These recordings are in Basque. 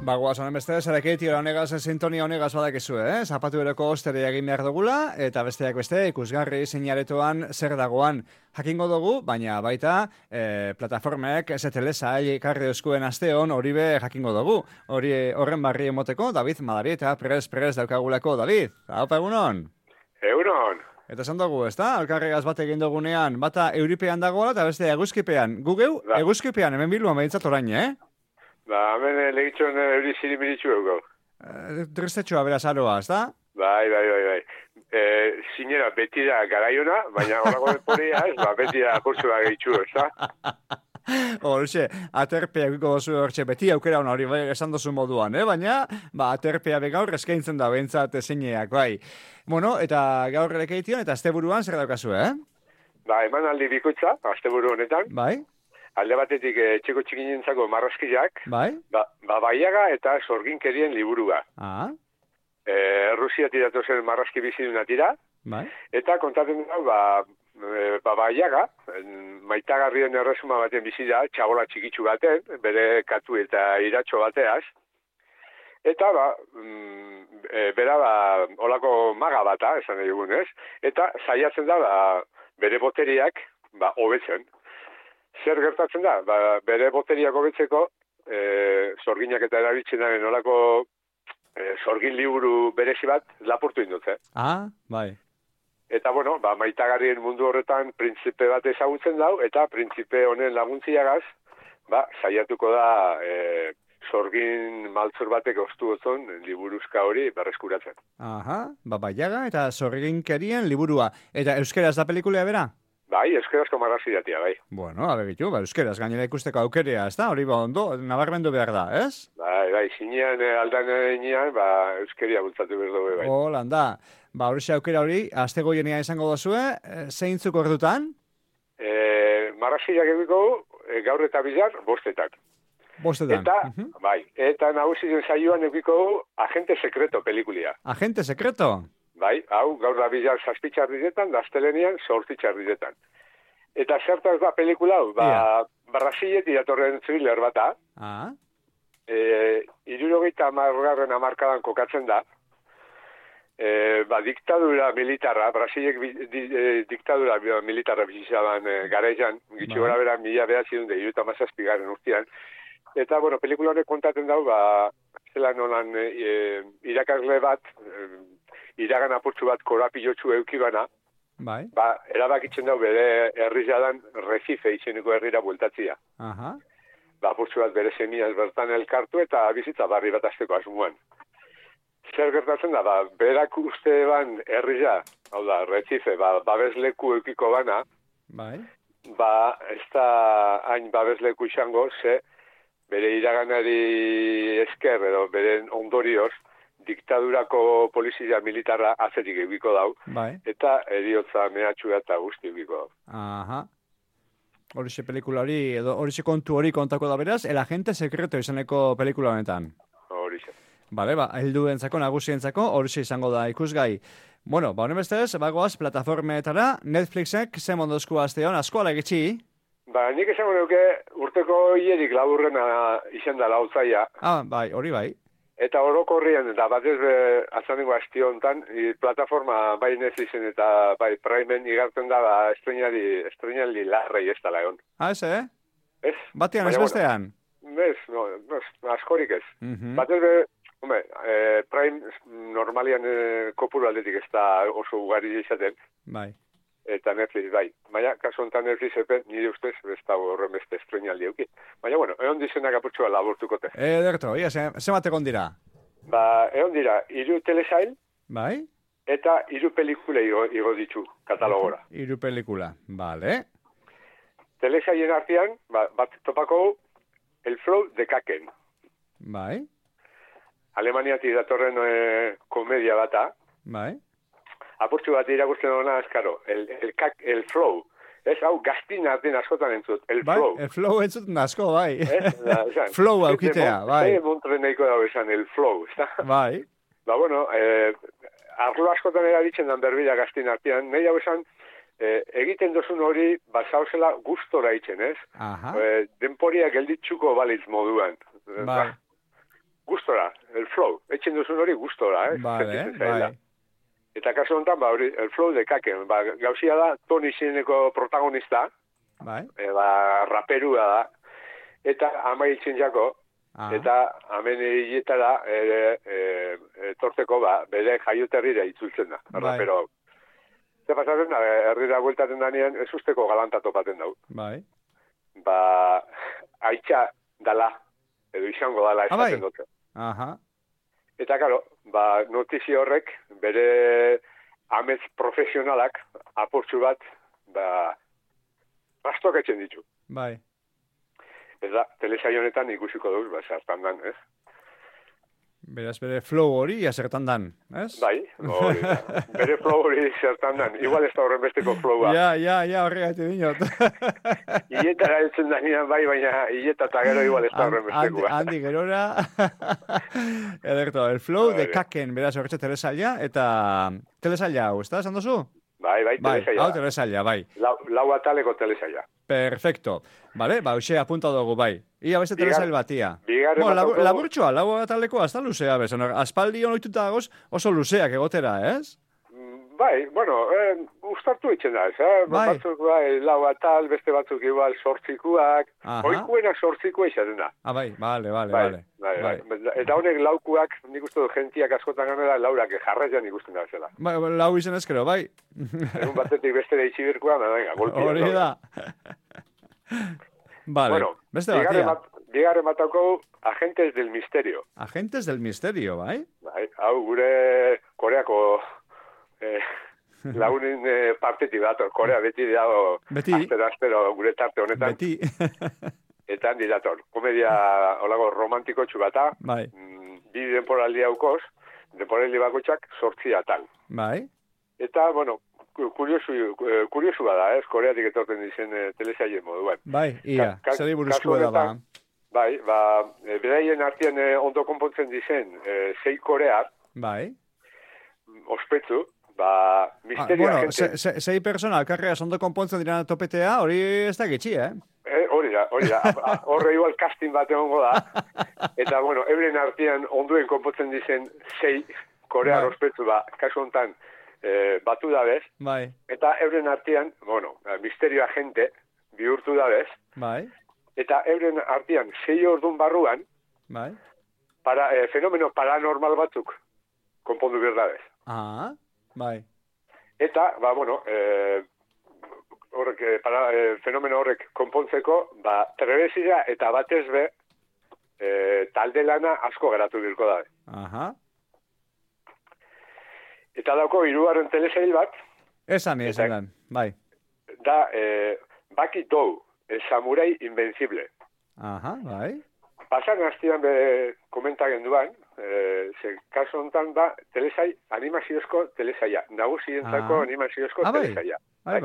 Bagoaz, honen beste, zarekeiti honegaz, sintonia honegaz badakizu, Zapatu bereko ostere egin behar dugula, eta besteak beste, ikusgarri zeinaretoan zer dagoan jakingo dugu, baina baita plataformek ZTL ekarri euskuen asteon hori be jakingo dugu. Horren barri emoteko, David Madari eta prez daukagulako, David. Haupa egunon? Egunon. Eta esan dugu, ezta? Alkarregaz bat egin dugunean, bata euripean dagoela eta beste eguzkipean. Gugeu, eguzkipean, hemen biluan behintzat orain, Hemen legitxon euri zirimiritxu ego. Tristetxoa beraz aroa, ezta? Bai. Zinera beti da garaiona, baina horako deporia ez, beti da kurtsua gehitxu, ezta? Horxe, aterpea egiko dozu horxe beti aukera hona hori esan dozu moduan, baina aterpea begaur eskaintzen da behintzat zeineak, bai. Bueno, eta gaur erekeitian eta asteburuan zer daukazu, Eman aldi bikoitza, asteburu honetan. Bai. Alde batetik txeko txikinentzako marrazkiak. Bai. Baiaga eta sorginkerien liburua. Rusiatik datozen marrazki biziduna tira. Bai. Eta kontatzen da, Baiaga, maitagarrien erresuma baten bizida, txabola txikitsu baten, bere katu eta iratxo bateaz. Eta, bera, olako maga bata, esan egun ez, eta saiatzen da, bere boteriak, hobetzen. Zer gertatzen da? Bere boteriak hobetzeko, sorginak eta erabiltzen daren olako sorgin liburu berezi bat lapurtu indutze. Bai. Eta, maitagarrien mundu horretan printzipe bat ezagutzen dau, eta printzipe honen laguntziagaz, saiatuko da sorgin maltzur batek ostu gotzon liburuzka hori berreskuratzen. Baiaga eta sorginkerien liburua. Eta euskeraz da pelikulea bera? Bai, euskerazko marrazkidatia, bai. Bueno, abegitu, euskeraz gainera ikusteko aukerea, ez da? Hori ondo, nabarmendu behar da, ez? Bai, zinean aldan enean, euskeria bultzatu behar dugu, bai. Holanda, hori aukera hori, astegoienean izango dozue, zeintzuk ordutan? Marrazkidak egiko gaur eta bizar, bostetan. Bostetan. Eta, bai, eta nagusien saioan egiko Agente Sekreto pelikulia. Agente Sekreto? Bai, hau, gaur da bizar zazpitxarrizetan, daztelenian sortzitxarrizetan. Eta zertaz da pelikula hau, Brasilet iratorren thriller bata. 70 hamarkadan kokatzen da. Diktadura militarra, Brasilek diktadura militarra bizizaban garaian, gitxi gora bera 1977 urtean. Eta, pelikula honek kontatzen dau, zelan holan irakasle bat, iragan apurtzu bat korapilotxu eukibana, bai. Erabakitzen dau bere herrizadan Recife izeneko herrira bueltatzia. Apurtzu bat bere semiaz bertan elkartu eta bizitza barri bat azteko asmuan. Zer gertatzen da, berak uste ban herriza, hau da, Recife, babesleku eukiko bana, bai. Ez da hain babesleku izango, ze bere iraganari esker edo bere ondorioz, diktadurako polizia militarra azetik egiko dau, eta eriotza mehatxua eta guzti egiko dau. Horixe pelikula hori, edo horixe kontu hori kontako da beraz, El Agente Sekreto izaneko pelikula honetan. Horixe. Bale, helduentzako, nagusientzako, horixe izango da ikusgai. Bueno, honen bestez, bagoaz, plataformetara, Netflixek zemondozko asteon, asko alegitxi? Nik esango nuke urteko hierik laburrena izan da lautzaia. Bai, hori bai. Eta orokorrian, eta batez azanengo asti honetan, plataforma bai Netflixen eta bai Primeen igartzen da estrenaldi larrei ez dala egon. Ez, Ez. Batean, ez bestean? Ez, askorik ez. Batez Prime normalian kopuru aldetik ez da oso ugari izaten. Bai. Eta Netflix, bai. Baina, kasu honetan Netflix nire ustez, ez da horren beste estrenaldi euki. Baina, egon dizenak apurtxua laburtukote. Ederto, zemat egon dira? Egon dira, 3 telesail, bai. Eta 3 pelikula igo ditu katalogora. 3 pelikula, bale. Telesailen artean, bat topako El Flow de Kaken. Bai. Alemaniatik datorren komedia bata. Bai. Apurtxu bat irakurtzen duna, eskaro, el flow. Ez, hau, gaztin artean askotan entzut, el flow. El flow entzut asko, bai. Flow aukitea, bai. Montre nahiko dago esan, el flow, ez da? Bai. Arlo askotan erabiltzen dan berbila gaztin artean, nahi hau esan, egiten dozun hori, zauzela gustora itzen, ez? Denporia gelditzuko balitz moduan. Bai. gustora, el flow, etxen duzun hori gustora, Bai. Eta kasu honetan, hori, el flow de kaken, gauzia da, Tony izeneko protagonista, Bai. Raperua da, eta amaitzen jako, eta hemen hiletara torteko, bere jaioterrira itzultzen da, rapero. Ze pasatzen da, herrira bueltaten danean, ez usteko galanta topaten dau. Bai. Aitza dala, edo izango dala esaten dute. Aha. Eta, karo, notizio horrek, bere amets profesionalak, apurtxu bat, rastoketzen ditu. Bai. Eta, telesaio honetan ikusiko duz, zertan dan, ez? Beraz, bere flow hori zertan dan, ez? Bai, hori. Bere flow hori zertan dan. Igual ez da horren besteko flowa. Ja, horregatik dinot. Iletara eltzen danean bai, baina ileta eta gero igual ez da horren besteko. Handi gerora. Ederto, el flow de kaken, beraz, horretxe telesaila, eta telesaila hau, ez da, esan dozu? Bai, telesaila. Hau telesaila, bai. Lau ataleko telesaila. Perfecto. Vale, hoxe apunta dugu, bai. Ia beste telesail batia. Laburtxoa, lau ataleko hasta luzea, bez. Aspaldi honoituta dagoz oso luzeak egotera, ez? Bai, bueno, ustartu itxen da, ez, batzuk, lau atal, beste batzuk igual sortzikuak, oikuenak sortzikua izaten da. Bai, bale. Eta honek laukuak, nik uste du gentiak askotan ganera, laurak jarraian ikusten da zela. Bai, lau izen ezkero, bai. Egun batetik beste da itxibirkoa, venga, golpia. Hori da. Vale, bueno, beste batia. Bigarren batako, Agentes del Misterio. Agentes del Misterio, bai? Bai, hau gure Koreako lagunen partetik dator. Korea beti dago, astero gure tarte honetan. Beti. Eta handi dator. Komedia olago romantiko txubata. Bai. Bi denporaldi haukoz, denporaldi bakotxak 8 atal. Bai. Eta, bueno, kuriosu bada, ez? Koreatik etorten dizen telesaien moduan. Bai, ia, zeri buruzkoa da. Bai, beraien artean ondo konpontzen dizen 6 korear. Bai. Ospetsu, misterio agente. Bueno, 6 persona alkarreaz ondo konpontzen diren topetea, hori ez da getxi, Hori da. Horre igual casting bat egongo da. Eta, bueno, euren artean onduen konpontzen dizen 6 korear ospetsu, kasu honetan, batu dabez. Bai. Eta euren artean, bueno, misterio agente bihurtu dabez. Bai. Eta euren artean 6 ordun barruan, bai. Fenomeno paranormal batzuk konpondu behar dabez. Bai. Eta, bueno, fenomeno horrek konpontzeko, trebezia eta batez be, talde lana asko geratu dirko dabe. Aha. Eta dauko, 3. telesail bat. Esan, bai. Da, Baki Dou, el samurai invencible. Aha, bai. Pasan hastian komentagen duan, kasu honetan da, animaziozko telesaia. Nagusientzako animaziozko telesaia. Bai.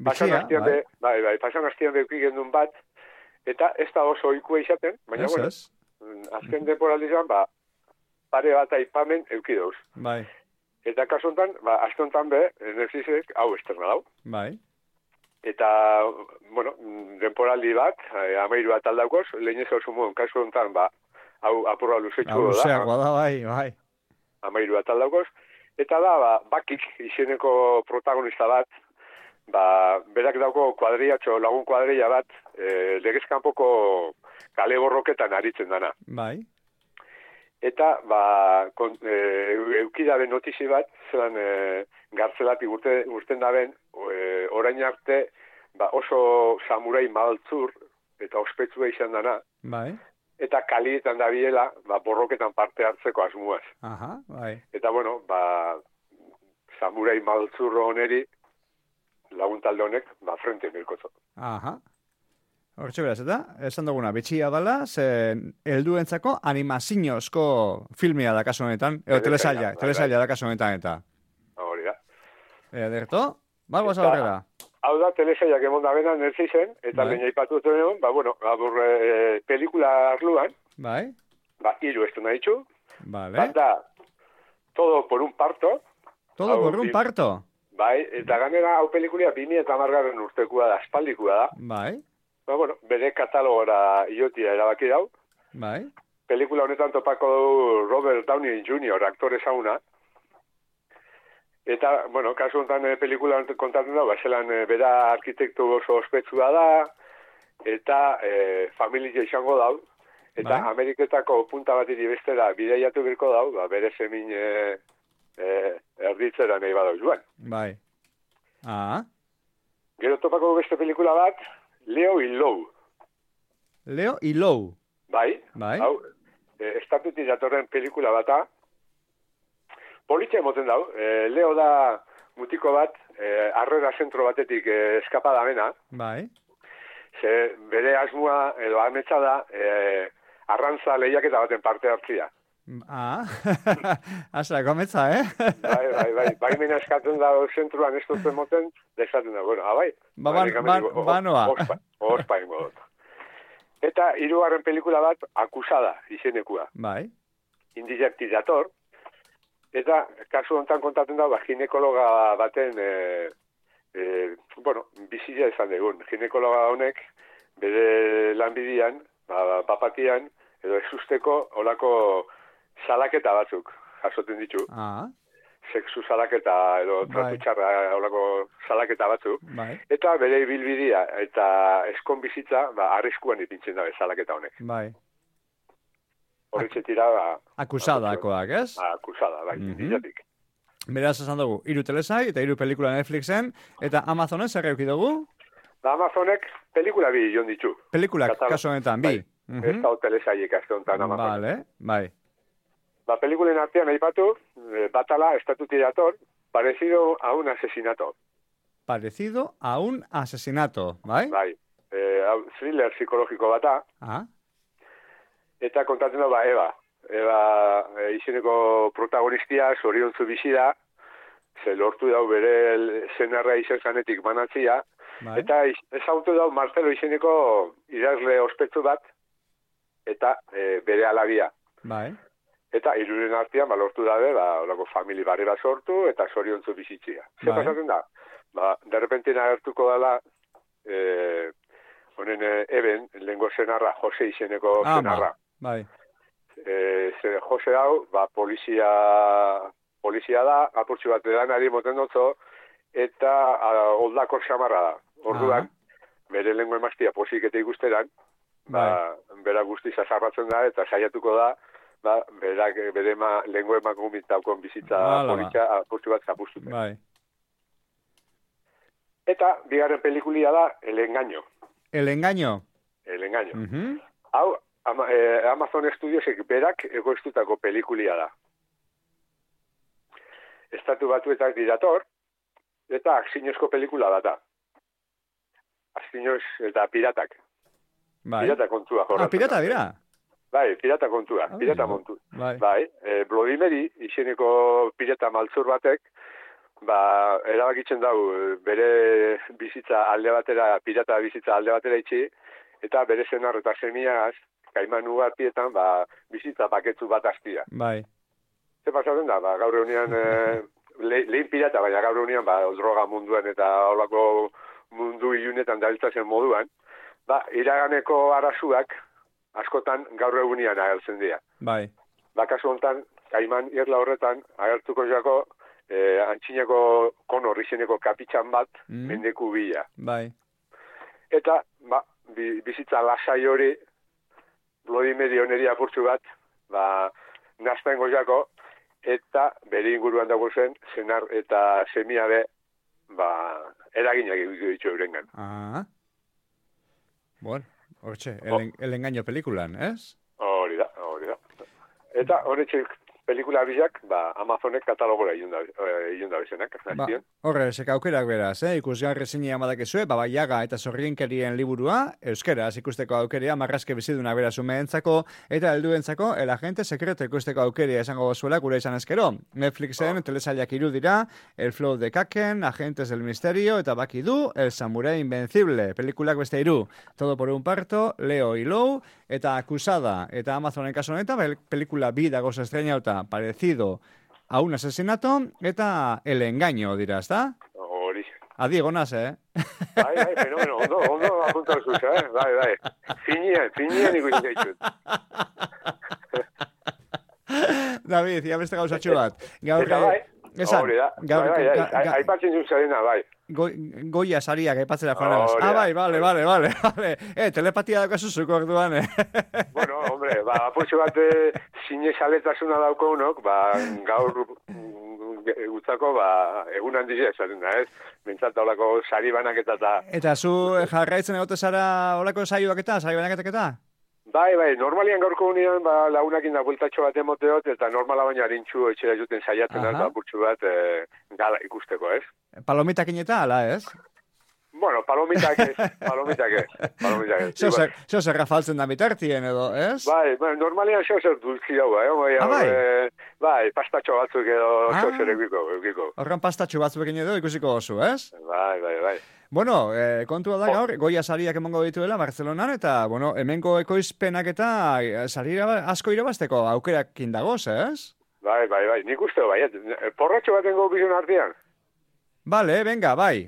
Pasan hastian beuki gendun bat, eta ez da oso oikua izaten, baina, bueno, azken temporalizan, pare bat aipamen eukidouz. Bai. Eta kasu honetan, azte honetan Netflixek hau esterna dau. Bai. Eta, bueno, denporaldi bat, 13 bat aldaukoz, lehen ez hau sumuen, kasu honetan, hau apurra luzetxu da. Luzeagoa da, bai. 13 bat aldaukoz. Eta da, Bakik izeneko protagonista bat, berak dauko lagun kuadrilla bat, legezkanpoko kale borroketan aritzen dana. Bai. Eta, eukidaben notizi bat, zelan gartzelatik urten daben, orain arte, oso samurai maltzur, eta ospetsua izan dana. Bai. Eta kalietan da biela, borroketan parte hartzeko asmuaz. Aha, bai. Eta, bueno, samurai maltzur honeri, laguntalde honek, frente mirkozo. Aha. Hortxe beraz, eta esan duguna, betxia dala, helduentzako animaziozko filmia da kasu honetan, edo telesaila da kasu honetan, eta. Hori da. Ederto, bagoaz aurrera. Hau da, telesailak emon da bena Netflixen, eta lehen jaipatu dut egon, pelikula arluan, bai. 3 estu nahi txu, vale. Bat da, Todo por un parto. Todo por un parto? Bai, eta ganera hau pelikulia 2010 urtekua da, aspaldikua da. Bai. Bueno, bere katalogora iotia erabaki dau. Bai. pelikula honetan topako du Robert Downey Jr., aktore zauna. Eta, bueno, kasu honetan pelikula kontatzen da, zelan bera arkitektu oso ospetsua da, eta familia izango dau, eta Ameriketako punta bat bestera bideiatu birko dau, bere semin erditzera nahi badau joan. Bai. Gero topako beste pelikula bat, Leo y Lou. Leo y Lou. Bai. Hau, estatutik datorren pelikula bata, politxe emoten dau, Leo da mutiko bat, arrera zentro batetik eskapada mena. Bai. Ze bere asmoa edo ametsa da arrantza lehiaketa baten parte hartzia. Asla, kometza, Bai. Baimena eskatzen da zentruan ez dut emoten, desaten da, bueno, bai. Banoa. Ospa ingo dut. Eta hirugarren pelikula bat, Akusada, izenekua. Bai. Indirekti dator. Eta kasu honetan kontatzen da, ginekologa baten, bizia izan dugun. Ginekologa honek, bere lanbidian, papatian, edo ezusteko olako salaketa batzuk jasoten ditu. Sexu salaketa edo tratu txarra olako salaketa batzuk. Bai. Eta bere ibilbidea eta eskon bizitza arriskuan ipintzen dabe salaketa honek. Bai. Horretxe tira... Akusadakoak, ez? Akusada, bai, dilatik. Beraz, esan dugu, 3 telesai eta 3 pelikula Netflixen, eta Amazonen zer euki dugu? Amazonek pelikula bi joan ditu. Pelikulak, kasu honetan, bi. Ez da telesaiek azte honetan Amazon. Vale, bai. Pelikulen artean aipatu, batala, estatuti dator, parecido a un asesinato. Parecido a un asesinato, bai? Bai. Thriller psikologiko bata. Eta kontatzen da, Eva. Eva izeneko protagonistia, zoriontzu bizi da, ze lortu dau bere zenarra izen zanetik banatzia, eta ezautu dau Marcelo izeneko idazle ospetsu bat, eta bere alabia. Bai. Eta hiruren artean lortu dabe, olako famili barri bat sortu, eta zoriontzu bizitzia. Zer pasatzen da? Derrepenten agertuko dela, honen eben, lehenko zenarra, Jose izeneko zenarra. Bai. Jose hau, polizia da, apurtxu bat edanari moten dutzo, eta oldako xamarra da. Orduan, bere lengua emaztia posik eta ikusteran, bera guztiz azarratzen da, eta saiatuko da, bere lengua emakumitaukon bizitza polizia apurtxu bat zapustuten. Bai. Eta, bigarren pelikulia da, El Engaño. El Engaño? El Engaño. Hau, Amazon Studiosek berak egoiztutako pelikulia da. Estatu batuetak dirator, eta akzinozko pelikula data. Akzinoz eta piratak. Bai. Pirata kontua jorratzen. Pirata dira? Bai, pirata kontua, pirata montu. Bai, Bloody Mary, izeneko pirata maltzur batek, erabakitzen dau bere bizitza alde batera, pirata bizitza alde batera itxi, eta bere zenar eta semiagaz, Kaiman ugartietan, bizitza paketzu bat astia. Bai. Ze pasatzen da, gaur egunean, lehen pirata, baina gaur egunean, droga munduan eta holako mundu ilunetan dabiltzazen moduan, iraganeko arazuak, askotan gaur egunean agertzen dira. Bai. Kasu honetan, Kaiman irla horretan, agertuko jako, antxineko konor izeneko kapitxan bat, mendeku bila. Bai. Eta, bizitza lasai hori, Bloody Mary oneri apurtzu bat, nazten goziako, eta bere inguruan dago zen, zenar eta semiabe, eraginak ditu eurengan. Bueno, hortxe, El Engaño pelikulan, ez? Hori da. Eta horretxe pelikula bizak, Amazonek katalogora ilunda bezenak. Horre, seka aukerak beraz, ikusgarri zinia madakezue, Babaiaga eta Zorrienkerien liburua, euskeraz ikusteko aukeria, marrazke biziduna beraz umeentzako, eta helduentzako, El Agente Secreto ikusteko aukeria esango gozuela gure izan ezkero. Netflixen telesailak 3 dira, El Flow de Kaken, Agentes del Misterio, eta baki du, El Samurai Invencible, pelikulak beste 3, Todo por un parto, Leo y Lou, eta Akusada, eta Amazonen kaso honetan, pelikula bi dagoz estrenauta, parecido a un asesinato, eta El Engaño, dira, ezta? Hori. Adi egonaz, Bai, fenomeno, ondo apuntatu zuz, Bai. Finean ikusi gaitut. David, ia beste gauzatxo bat. Gaur, Eta bai, esan, hori da. Aipatzen dut zarena, bai. Goia sariak aipatzera joan. Bai, vale. Telepatia daukazu zuko orduan, Bueno, hombre, apurtxo bat zinezaletasuna dauko unok, gaur gutzako, egun handizia esaten da, ez? Bentsat daulako sari banaketa eta... Eta zu jarraitzen egote zara olako saioak eta, sari banaketak eta? Bai, normalian gaurko unian, lagunakin da bueltatxo bat emoteot, eta normala baina harintxu etxera juten saiatzen, apurtxo bat gala ikusteko, ez? Palomitakin eta, ala, ez? Bueno, palomitak ez. Zeo zer rafaltzen da bitartien edo, ez? Bai, normalian zeo zer dulzi daua, bai, pastatxo batzuk edo zeo zer egiko. Horren pastatxo batzuekin edo ikusiko oso, ez? Bai. Bueno, kontua da gaur, Goya sariak emango dituela Barcelonan, eta, bueno, hemengo ekoizpenak eta sarira asko irabazteko aukerakin dagoz, ez? Bai, nik uste, bai, porratxo batengo bizun artean. Vale, venga, bai.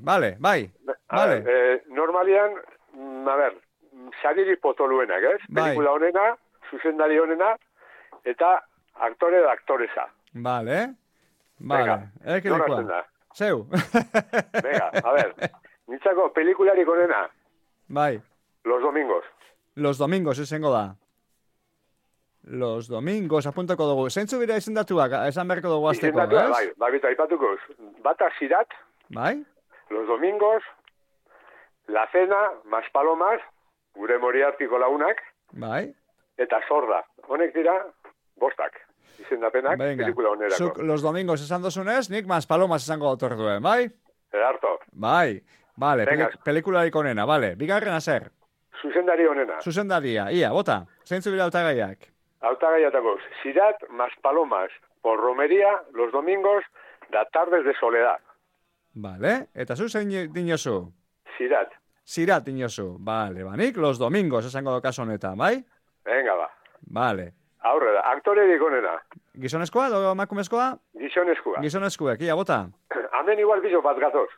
Normalian, sariri potoluenak, ez? Pelikula honena, zuzendari honena, eta aktore da aktoreza. Vale. Venga, norazten da. Zeu. Venga, nintzako pelikularik honena. Bai. Los Domingos, izango da. Los Domingos, apuntako dugu. Zeintzu bira izendatuak, esan berko dugu azteko, ez? Izendatuak, bai, aipatuko. Bata Sirat, bai. Los Domingos, La Cena, Mas Palomas, gure Moriartiko lagunak, bai. Eta Sorda. Honek dira, bostak. Izendapenak, pelikula honerako. Zuk Los Domingos esan dozunez, nik Mas Palomas esango autor duen, bai? Edarto. Bai, vale, pelikularik onena, vale. Bigarrena zer? Zuzendari honena. Zuzendaria, ia, bota. Zeintzu bira hautagaiak? Hautagaiatakoz, Sirat, Mas Palomas, por Romería, Los Domingos, da Tardes de Soledad. Vale, eta zu zein dinozu? Sirat dinozu, vale, banik, Los Domingos esango dokazo honetan, bai? Venga, ba. Vale. Aurrera, aktorerik onena. Gizonezkoa, edo emakumezkoa? Gizonezkoak, ia, bota. Hemen igual bizo bat gatoz.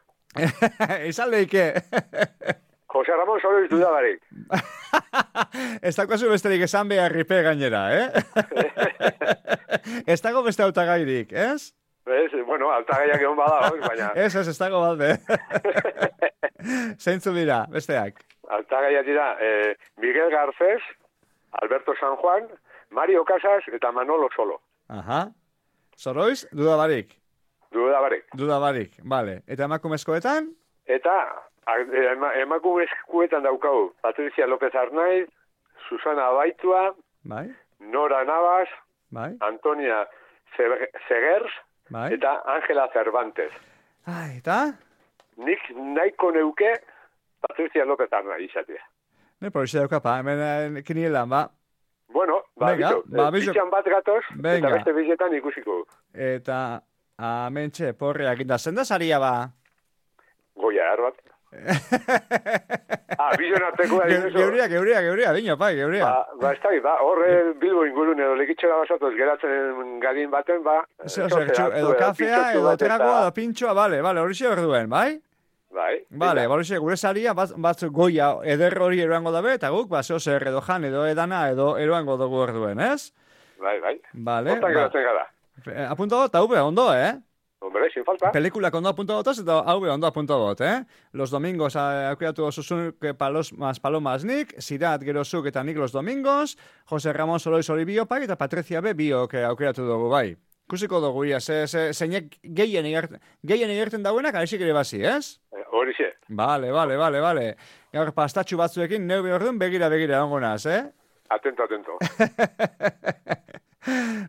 Izan lehike. Jose Ramon Soroiz dudabarik. Ez dagoazu besterik esan beharripe gainera, Ez dago beste hautagairik, ez? Bueno, hautagaiak egon bada, baina... Ez dago balde. Zeintzu dira, besteak? Hautagaiak dira Miguel Garcés, Alberto San Juan, Mario Casas eta Manolo Solo. Aha. Soroiz, dudabarik? Dudabarik, vale. Eta emakumezkoetan? Eta... emakumezkoetan daukau Patricia López Arnaiz, Susana Baitua, bai. Nora Navas, bai. Antonia Segers, bai. Eta Ángela Cervantes. Eta? Nik nahiko neuke Patricia López Arnaiz izatea. Ne, porixi daukapa, hemen kinielan, ba. Bueno, bitxan bat gatoz, eta beste bizetan ikusiko. Eta, amentxe, porreak inda, zenda saria ba? Goia, erbat. Bizon arteko da dinuzo. Geuria, dino, pai, geuria. Ez da, horre Bilbo ingurun edo lekitxora basatoz geratzen gadin baten, edo kafea, edo tragoa, edo pintxoa, bale, hori xe berduen, bai? Bale, gure saria, batzuk Goia eder hori eroango dabe, eta guk, zeo zer, edo jan, edo edana, edo eroango dugu berduen, ez? Bai. Bale, hortan geratzen gara. Apunto got, hau ondo, Hombre, sin falta. Pelikulak ondo apunto botoz, eta hau ondo apunto bot, Los Domingos aukeratu osuzunuk Mas Palomas nik, Sirat gerozuk eta nik Los Domingos, Jose Ramon Soroiz hori biopak, eta Patricia B. biok aukeratu dugu, bai. Kusiko dugu, ia, zeinek gehien igerten dauenak, alexik ere bazi, ez? Horixe. Vale. Gaur pastatxu batzuekin, neu behordun begira ongonaz, Atento.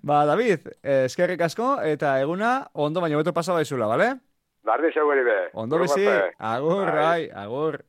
David, eskerrik asko, eta eguna ondo baino beto pasa baizula, bale? Barri zeu be. Ondo bizi, agur.